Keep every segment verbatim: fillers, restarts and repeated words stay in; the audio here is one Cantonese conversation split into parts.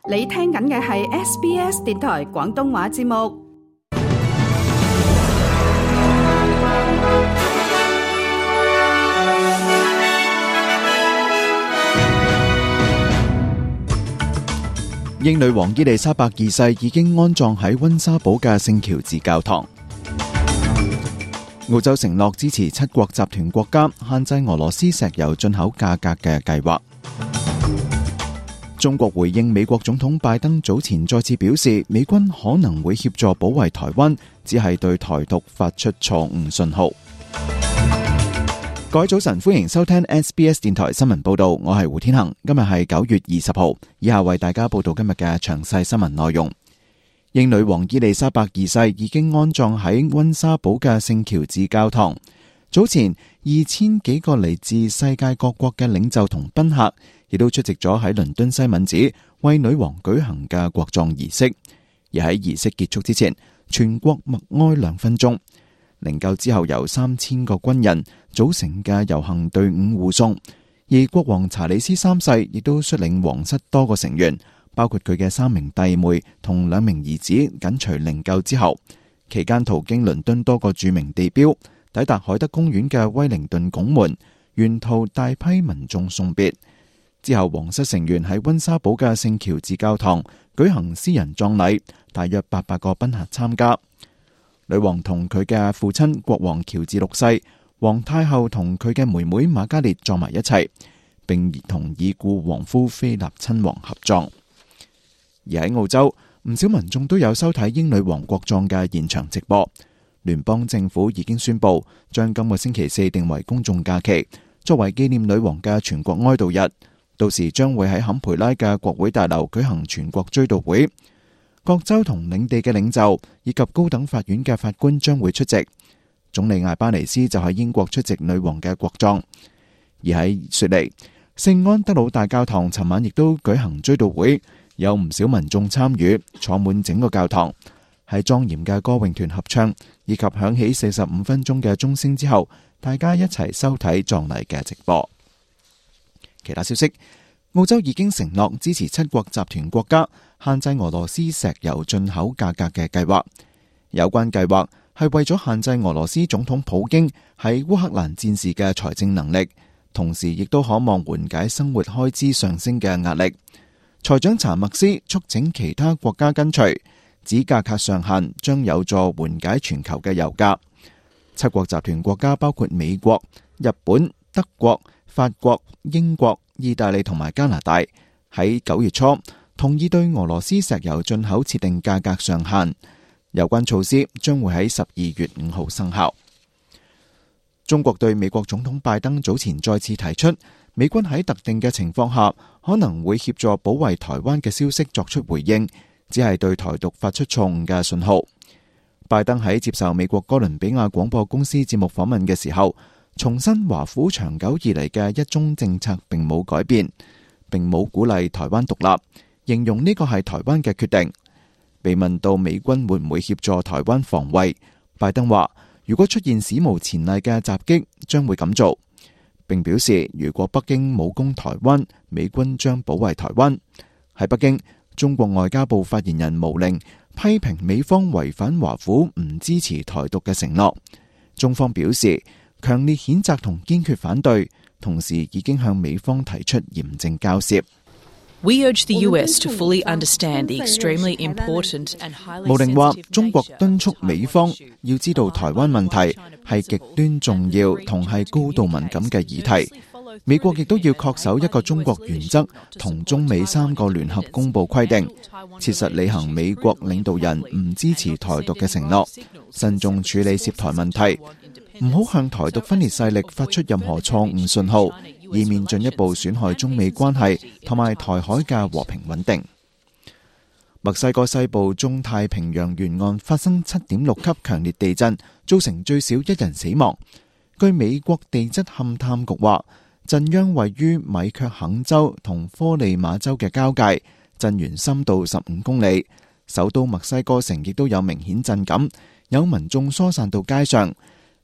你聽緊嘅係 S B S 電台廣東話節目。英女王伊麗莎白二世已經安葬喺溫莎堡嘅聖喬治教堂。澳洲承諾支持七國集團國家限制俄羅斯石油進口價格嘅計劃。中國回應美國總統拜登早前再次表示，美軍可能會協助保衛台灣，只係對台獨發出錯誤信號。各位早晨，歡迎收聽 S B S 電台新聞報道，我係胡天恒。今日係九月二十號，以下為大家報道今日嘅詳細新聞內容。英女王伊麗莎白二世已經安葬喺溫莎堡嘅聖喬治教堂。早前二千幾個嚟自世界各國嘅領袖同賓客，亦都出席咗喺倫敦西敏寺為女王舉行嘅國葬儀式。而喺儀式結束之前，全國默哀兩分鐘。靈柩之後由三千個軍人組成嘅遊行隊伍護送，而國王查理斯三世亦都率領皇室多個成員，包括佢嘅三名弟妹同兩名兒子緊隨靈柩之後，期間途經倫敦多個著名地標，抵達海德公園嘅威靈頓拱門，沿途大批民眾送別。之後皇室成員喺溫莎堡嘅聖喬治教堂舉行私人葬禮，大約八百個賓客參加。女王同佢嘅父親國王喬治六世、皇太后同佢嘅妹妹瑪嘉烈葬埋一齊，並同已故皇夫菲臘親王合葬。而喺澳洲，唔少民眾都有收睇英女王國葬嘅現場直播。聯邦政府已經宣布將今個星期四定為公眾假期，作為紀念女王嘅全國哀悼日。到時將會喺坎培拉嘅國會大樓舉行全國追悼會。各州同領地嘅領袖以及高等法院嘅法官將會出席。總理艾巴尼斯就喺英國出席女王嘅國葬。而喺雪梨，聖安德魯大教堂尋晚亦都舉行追悼會，有唔少民眾參與，坐滿整個教堂。喺莊嚴嘅歌詠團合唱以及響起四十五分鐘嘅鐘聲之後，大家一齊收睇葬禮嘅直播。其他消息，澳洲已經承諾支持七國集團國家限制俄羅斯石油進口價格嘅計劃。有關計劃係為咗限制俄羅斯總統普京喺烏克蘭戰事嘅財政能力，同時亦都可望緩解生活開支上升嘅壓力。財長查默斯促請其他國家跟隨，指價格上限將有助緩解全球嘅油價。七國集團國家包括美國、日本、德國、法國、英國、意大利同埋加拿大，喺九月初同意對俄羅斯石油進口設定價格上限。有關措施將會喺十二月五號生效。中國對美國總統拜登早前再次提出，美軍喺特定嘅情況下可能會協助保衛台灣嘅消息作出回應，只係對台獨發出錯誤嘅信號。拜登喺接受美國哥倫比亞廣播公司節目訪問嘅時候，重申華府長久以嚟嘅一中政策並冇改變，並冇鼓勵台灣獨立，形容呢個係台灣嘅決定。被問到美軍會唔會協助台灣防衛，拜登話如果出現史無前例嘅襲擊，將會咁做，並表示如果北京武攻台灣，美軍將保衛台灣。喺北京，中國外交部發言人毛寧批評美方違反華府唔支持台獨嘅承諾，中方表示強烈譴責同堅決反對，同時已經向美方提出嚴正交涉。We urge the U S to fully understand the extremely important and highly sensitive 毛寧話，中國敦促美方要知道台灣問題係極端重要同係高度敏感嘅議題。美國亦都要恪守一個中國原則同中美三個聯合公佈規定，切實履行美國領導人唔支持台獨嘅承諾，慎重處理涉台問題，唔好向台獨分裂勢力發出任何錯誤信號，以免進一步損害中美關係同埋台海嘅和平穩定。墨西哥西部中太平洋沿岸發生七點六級強烈地震，造成最少一人死亡。據美國地質勘探局話，震央位於米卻肯州同科利馬州嘅交界，震源深度十五公里。首都墨西哥城亦都有明顯震感，有民眾疏散到街上。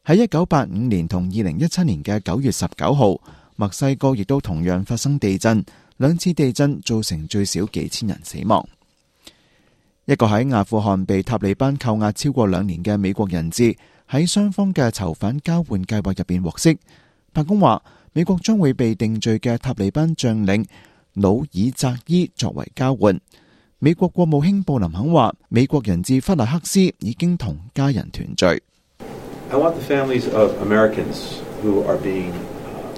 喺一九八五年同二零一七年嘅九月十九號，墨西哥亦都同樣發生地震，兩次地震造成最少幾千人死亡。一個喺阿富汗被塔利班扣押超過兩年嘅美國人質喺雙方嘅囚犯交換計劃入邊獲釋。白宮話，美國將會被定罪嘅塔利班將領努爾扎伊作為交換。美國國務卿布林肯話，美國人質弗萊克斯已經同家人團聚。I want the families of Americans who are being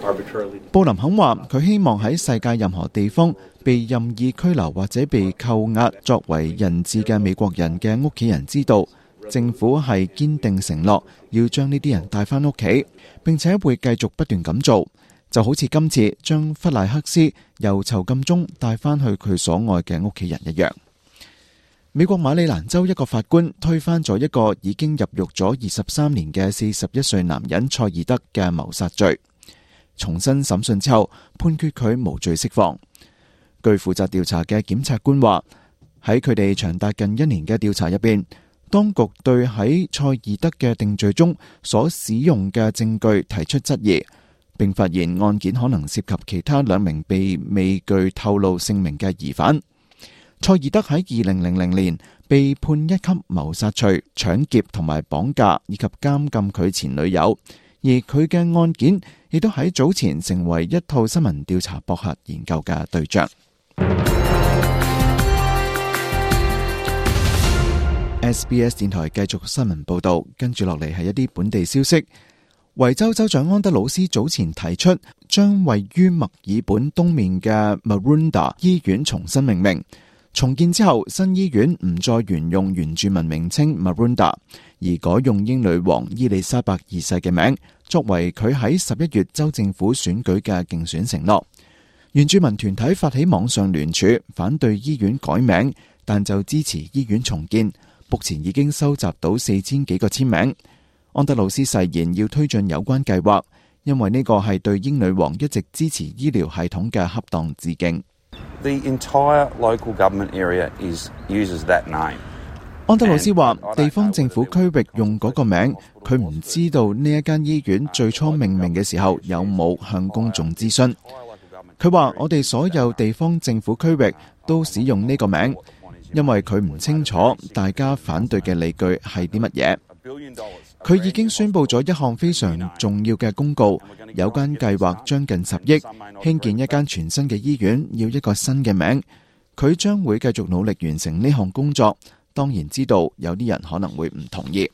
arbitrarily... 布林肯話，佢希望喺世界任何地方被任意拘留或者被扣押作為人質嘅美國人嘅屋企人知道，政府係堅定承諾要將呢啲人帶返屋企，並且會繼續不斷咁做，就好似今次將弗萊克斯由囚禁中帶返去佢所愛嘅屋企人一樣。美國馬里蘭州一個法官推翻咗一個已經入獄咗二十三年嘅四十一歲男人塞爾德嘅謀殺罪，重新審訊之後判決佢無罪釋放。據負責調查嘅檢察官話，喺佢哋長達近一年嘅調查入邊，當局對喺塞爾德嘅定罪中所使用嘅證據提出質疑，並發現案件可能涉及其他兩名被未具透露姓名嘅疑犯。塞爾德喺二零零零年被判一級謀殺罪、搶劫同埋綁架，以及監禁佢前女友，而佢嘅案件亦都喺早前成為一套新聞調查博客研究嘅對象。S B S 電台繼續新聞報道，跟住落嚟係一啲本地消息。維州州長安德魯斯早前提出，將位於墨爾本東面嘅 Maroondah 醫院重新命名。重建之後，新醫院唔再沿用原住民名稱 Maroondah， 而改用英女王伊麗莎白二世嘅名，作為佢喺十一月州政府選舉嘅競選承諾。原住民團體發起網上聯署，反對醫院改名，但就支持醫院重建。目前已經收集到四千幾個簽名。安德魯斯誓言要推進有關計劃，因為呢個係對英女王一直支持醫療系統嘅恰當致敬。The entire local government area is uses that name. 安德魯斯話，地方政府區域用嗰個名，佢唔知道呢一間醫院最初命名嘅時候有冇向公眾諮詢。佢話，我哋所有地方政府區域都使用呢個名，因為佢唔清楚大家反對嘅理據係啲乜嘢。佢已經宣布咗一項非常重要嘅公告，有關計劃將近十億，興建一間全新嘅醫院，要一個新嘅名。佢將會繼續努力完成呢項工作，當然知道有啲人可能會唔同意。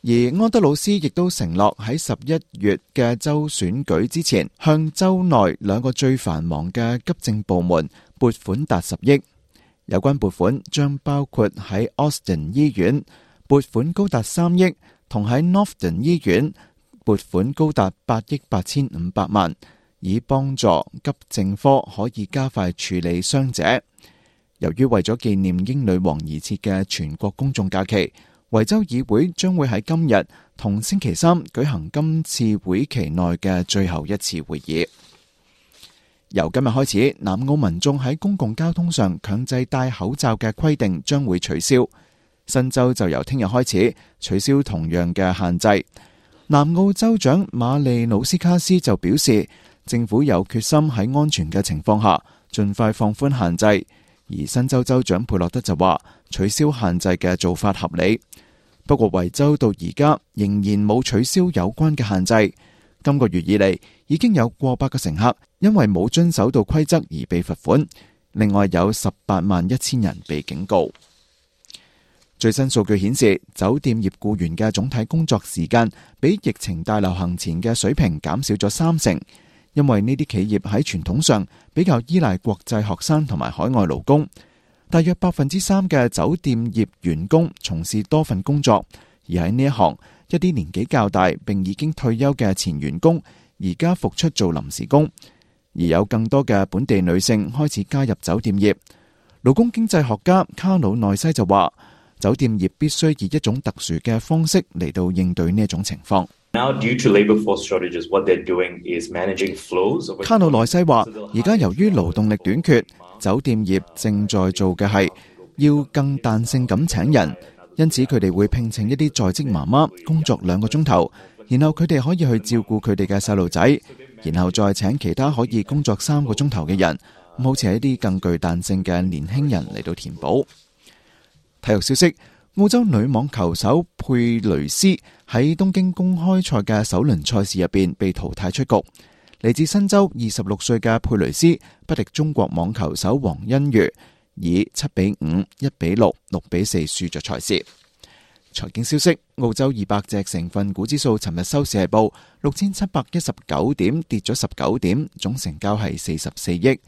而安德魯斯亦都承諾喺十一月嘅州選舉之前，向州內兩個最繁忙嘅急症部門撥款達十億。有關撥款將包括喺 Austin 醫院撥款高達三億，同喺 Northern 醫院撥款高達八億八千五百萬，以幫助急症科可以加快處理傷者。由於為咗紀念英女王而設嘅全國公眾假期，維州議會將會喺今日同星期三舉行今次會期內嘅最後一次會議。由今日開始，南澳民眾喺公共交通上強制戴口罩嘅規定將會取消。新州就由聽日開始取消同樣嘅限制。南澳州長馬利努斯卡斯就表示，政府有決心喺安全嘅情況下盡快放寬限制。而新州州長佩洛德就話，取消限制嘅做法合理。不過維州到而家仍然冇取消有關嘅限制。今個月以嚟，已經有過百個乘客因為冇遵守到規則而被罰款，另外有十八萬一千人被警告。最新數據顯示，酒店業僱員嘅總體工作時間比疫情大流行前嘅水平減少咗三成，因為呢啲企業喺傳統上比較依賴國際學生同埋海外勞工。大約百分之三嘅酒店業員工從事多份工作，而喺呢一行，一啲年紀較大並已經退休嘅前員工而家復出做臨時工，而有更多嘅本地女性開始加入酒店業。勞工經濟學家卡魯內西就話，酒店業必須以一種特殊嘅方式嚟到應對呢一種情況。卡魯內西話，而家由於勞動力短缺，酒店業正在做嘅係要更彈性咁請人，因此佢哋會聘請一啲在職媽媽工作兩個鐘頭，然後佢哋可以去照顧佢哋嘅細路仔，然後再請其他可以工作三個鐘頭嘅人，好似係一啲更具彈性嘅年輕人嚟到填補。體育消息，澳洲女網球手佩雷斯喺東京公開賽嘅首輪賽事入邊被淘汰出局。嚟自新州二十六歲嘅佩雷斯不敵中國網球手王欣瑜，以七比五、一比六、六比四輸咗賽事。財經消息，澳洲二百隻成分股指數尋日收市係報六千七百一十九點，跌咗十九點，總成交係四十四億。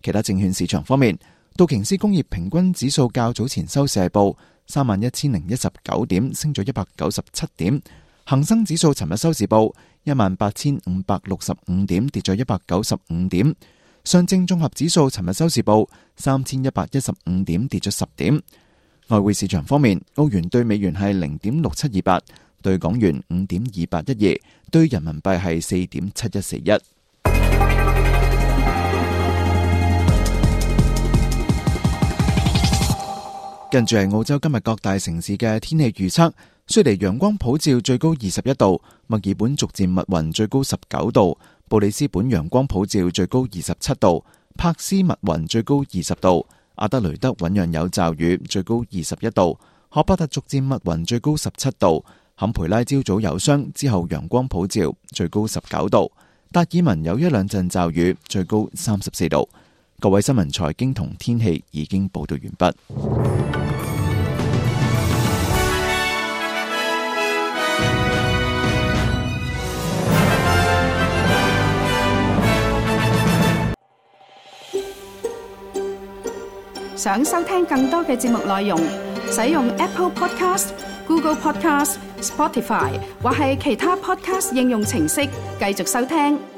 其他證券市場方面，道瓊斯工業平均指數較早前收市係報三萬一千零一十九點，升咗一百九十七點。恒生指數尋日收市報一萬八千五百六十五點，跌咗一百九十五點。上證綜合指數尋日收市報三千一百一十五點，跌咗十點。外匯市場方面，澳元對美元係零點六七二八，對港元五點二八一二，對人民幣係四點七一四一。跟住係澳洲今日各大城市嘅天氣預測。雪梨陽光普照，最高二十一度；墨爾本逐漸密雲，最高十九度；布里斯本陽光普照，最高二十七度；柏斯密雲，最高二十度；阿德雷德醞釀有驟雨，最高二十一度；荷巴特逐漸密雲，最高十七度；坎培拉朝早有霜，之後陽光普照，最高十九度；達爾文有一兩陣驟雨，最高三十四度。各位新聞財經同天氣已經報道完畢。想收聽更多嘅節目內容，使用 Apple Podcast、Google Podcast、Spotify 或係其他 Podcast 應用程式繼續收聽。